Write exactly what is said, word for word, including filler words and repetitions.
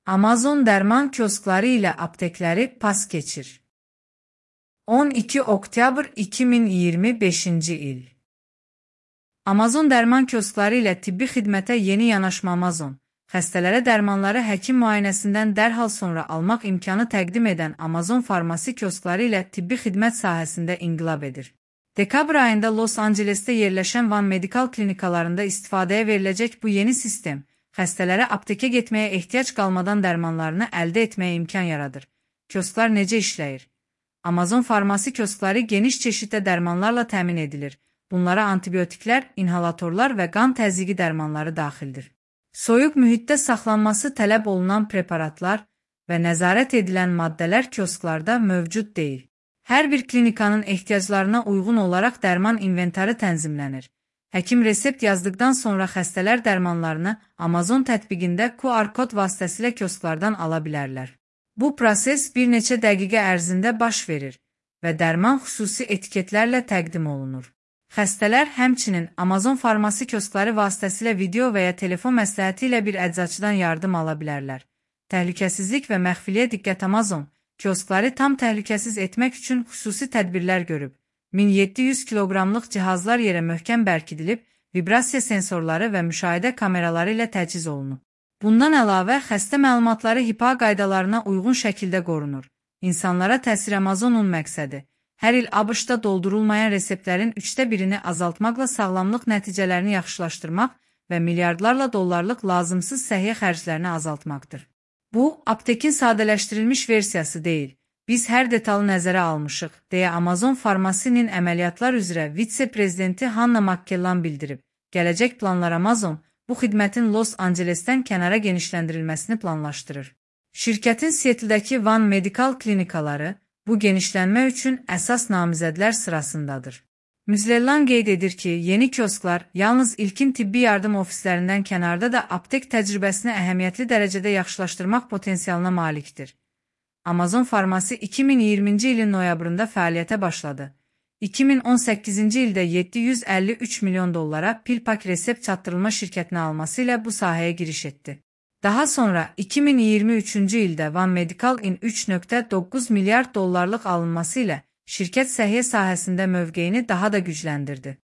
Amazon dərman kioskları ilə aptekləri pas keçir. on iki oktyabr iki min iyirmi beşinci il. Amazon dərman kioskları ilə tibbi xidmətə yeni yanaşma. Amazon, xəstələrə dərmanları həkim müayinəsindən dərhal sonra almaq imkanı təqdim edən Amazon farmasi kioskları ilə tibbi xidmət sahəsində inqilab edir. Dekabr ayında Los Angelesdə yerləşən Van Medical klinikalarında istifadəyə veriləcək bu yeni sistem, xəstələrə aptekə getməyə ehtiyac qalmadan dərmanlarını əldə etməyə imkan yaradır. Kiosklar necə işləyir? Amazon farmasi kioskları geniş çeşiddə dərmanlarla təmin edilir. Bunlara antibiotiklər, inhalatorlar və qan təzyiqi dərmanları daxildir. Soyuq mühitdə saxlanması tələb olunan preparatlar və nəzarət edilən maddələr kiosklarda mövcud deyil. Hər bir klinikanın ehtiyaclarına uyğun olaraq dərman inventarı tənzimlənir. Həkim resept yazdıqdan sonra xəstələr dərmanlarını Amazon tətbiqində Q R kod vasitəsilə kiosklardan ala bilərlər. Bu proses bir neçə dəqiqə ərzində baş verir və dərman xüsusi etiketlərlə təqdim olunur. Xəstələr həmçinin Amazon farmasi kioskları vasitəsilə video və ya telefon məsləhəti ilə bir əczaçıdan yardım ala bilərlər. Təhlükəsizlik və məxfiliyə diqqət. Amazon kioskları tam təhlükəsiz etmək üçün xüsusi tədbirlər görüb. min yeddi yüz kiloqramlıq cihazlar yerə möhkəm bərkidilib, vibrasiya sensorları və müşahidə kameraları ilə təchiz olunub. Bundan əlavə, xəstə məlumatları HIPAA qaydalarına uyğun şəkildə qorunur. İnsanlara təsir. Amazonun məqsədi, hər il ABŞ-da doldurulmayan reseptlərin üçdə birini azaltmaqla sağlamlıq nəticələrini yaxşılaşdırmaq və milyardlarla dollarlıq lazımsız səhiyyə xərclərini azaltmaqdır. Bu, aptekin sadələşdirilmiş versiyası deyil. Biz hər detalı nəzərə almışıq, deyə Amazon Farmasinin əməliyyatlar üzrə vitse-prezidenti Hannah McKellan bildirib. Gələcək planlar. Amazon bu xidmətin Los Angelesdən kənara genişləndirilməsini planlaşdırır. Şirkətin Seattle-dəki Van Medical klinikaları bu genişlənmə üçün əsas namizədlər sırasındadır. McKellan qeyd edir ki, yeni kiosklar yalnız ilkin tibbi yardım ofislərindən kənarda da aptek təcrübəsini əhəmiyyətli dərəcədə yaxşılaşdırmaq potensialına malikdir. Amazon Farmasi iki min iyirminci ilin noyabrında fəaliyyətə başladı. iki min on səkkizinci ildə yeddi yüz əlli üç milyon dollara PillPack resept çatdırılma şirkətinə alması ilə bu sahəyə giriş etdi. Daha sonra iki min iyirmi üçüncü ildə Van Medical-in üç nöqtə doqquz milyard dollarlıq alınması ilə şirkət səhiyyə sahəsində mövqeyini daha da gücləndirdi.